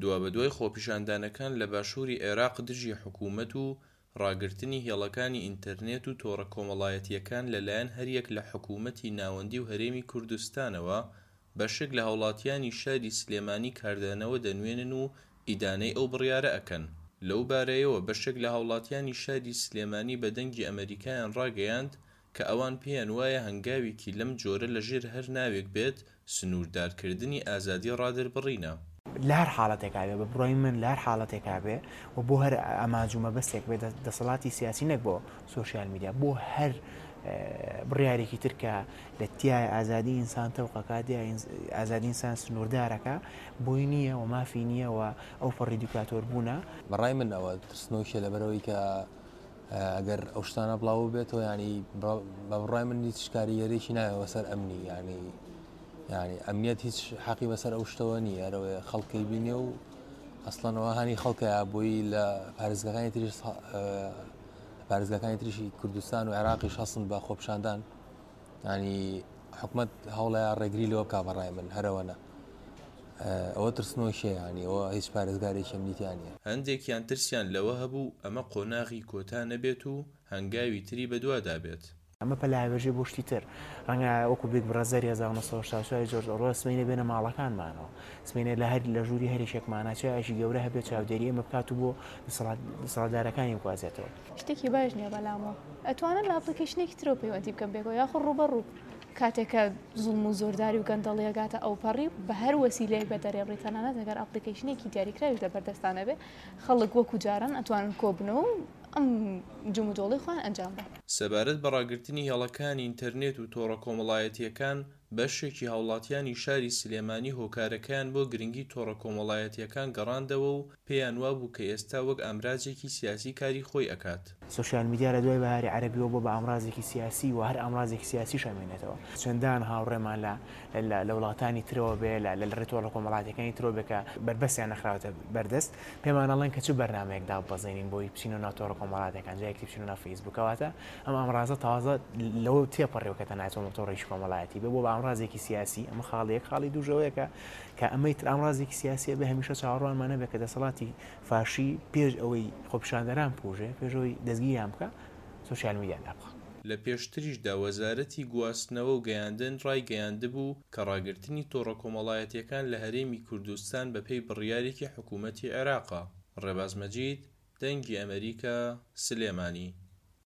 دوابەدوای خۆپیشاندانەکان لە باشووری عێراق دژی حکوومەت و ڕاگرتنی هێڵەکانی ئینتەرنێت و تۆڕە کۆمەڵایەتییەکان لەلایەن هەریەک لە حکوومەتی ناوەندی و هەرێمی کوردستانەوە، بەشێک لە هاوڵاتیانی شاری سلێمانی کاردانەوە دەنوێنن و ئیدانەی ئەو بڕیارە ئەکەن. لەو بارەیەوە بەشێک لە هاوڵاتیانی شاری سلێمانی بە دەنگی ئەمەریکایان ڕاگەیاند کە ئەوان پێیان وایە هەنگاوێکی لەم جۆرە لە ژێر هەر ناوێک بێت سنووردارکردنی ئازادی ڕادەربڕینە. لە هەر حاڵەتێکا بێ، بە بڕوای من لە هەر حاڵەتێکا بێ و بۆ هەر ئامانج و مەبەستێک بێ دەسەڵاتی سیاسی نەک بۆ سۆشیال میدیا بۆ هەر بڕیارێکی تر کە لە تیایە ئازادی ئینسان تەوقەکات یا ئازادی ئینسان سنووردارەکە بۆی نییە و مافی نییە و ئەو پەڕی دیکتاتۆر بوونە. بە ڕای من ئەوە ترسنۆکیە لەبەرئەوەی کە ئەگەر ئەو شتانە بڵاو ببێتەوە ینی بە بڕای من هیچ کاریگەرێکی نایەوە سەر ئەمنی ینی ینی ئەمنیەت هیچ حەقی بەسەر ئەو شتەوە نییە ئەرەوەی خەڵکی بینێ و ئەسڵەنەوە هەنی خەڵکە بۆی لە پارێزگاکانی تریش پارێزگاکانی تریشی کوردستان و عێراقیش هەستن بە خۆپیشاندان ینی حکومت هەوڵەیە ڕێگری لەوە بکا بەڕای من هەرەوەنە ئەوە ترسنۆکیە یانی ئەوە هیچ پارێزگارێکی ئەمنی تیا نیە. هەندێکیان ترسیان لەوە هەبوو ئەمە قۆناغی کۆتا نەبێت و هەنگاوی تری بەدوادا بێت. ئەمە پەلاوێژەی بۆ شتی تر. ڕەنگە وەکو بیگ بڕەزەری 1984 ی جۆرج ئۆروێڵ سبەینێ بێنە ماڵەکانمانەوە. سبەینێ لە هەر لە ژووری هەر یەکێکمانا چایەکی گەورە هەبێت چاودێری ئێمە بکات و بۆ دەسەڵات دەسەڵاتدارەکانی بگوازێتەوە. شتێکی باش نیە بەلامەوە. ئەتوانن لە ئەپڵیکەیشنێکی ترەوە پەیوەندی بکەن پێکەوە یاخود ڕووبەڕوو. کاتێک کە زوڵم و زۆرداری و گەندەڵی ئەگاتە ئەوپەڕی بە هەر وەسیلەیەک بێت دەرێبڕی تەنانەت ئەگەر ئەپڵیکەیشنێکی دیاریکراویش لەبەر دەستان هەبێ خەڵک وەکو جاران ئەتوانن کۆبنەوە و ئەم جموجۆڵەی خۆیان ئەنجام بەن. سەبارەت بە ڕاگرتنی هێڵەکانی ئینتەرنێت و تۆڕە کۆمەڵایەتییەکان، بەشێکی هاوڵاتیانی شاری سلێمانی هۆکارەکەیان بۆ گرنگی تۆڕە کۆمەڵایەتییەکان گەڕاندەوە و پێیان وابوو کە ئێستا وەک ئامرازێکی سیاسی کاری خۆی ئەکات. سۆشیال میدیا لە دوای بەهاری عەرەبیەوە بووە بە ئامرازێکی سیاسی و هەر ئامرازێکی سیاسیش ئەمێنێتەوە. چەندان هاوڕێمان لە لە وڵاتانی ترەوە بێ، لە لە ڕێ تۆڕە کۆمەڵاتیەکانی ترەوە بێ کە بەربەستیان نەخراوەتە بەردەست، پێمان ئەڵێن کە چ بەرنامەیەک داببەزێنین بۆی بچینەوە ناو تۆڕە کۆمەڵاتیەکان، جارێکی تر بچینەوە ناو فەیسبووک. کەواتە ئەم ئامرازە تازە لەوە تێپەڕیوە کە تەنها تۆڕێکی کۆمەڵایەتی بێ، بووە بە ئامرازێکی سیاسی. ئەمە خاڵی یەک. خاڵی دووش ئەوەیە کە کە ئەمەی تر ئامرازێکی سیاسیە بێ هەمیشە چاوەڕوانمان هەبێ کە دەسەڵاتی فاشی پێش ئەوەی خۆپیشاندەران بکوژێ، پێش ئەوەی دەستگیریان بکا سۆشیال میدیا دابخا. لە پێشتریشدا وەزارەتی گواستنەوە و گەیاندن ڕایگەیاندبوو کە ڕاگرتنی تۆڕە کۆمەڵایەتییەکان لە هەرێمی کوردستان بەپێی بڕیارێکی حکوومەتی عێراقە. ڕێباز مەجید، دەنگی ئەمەریکا، سلێمانی.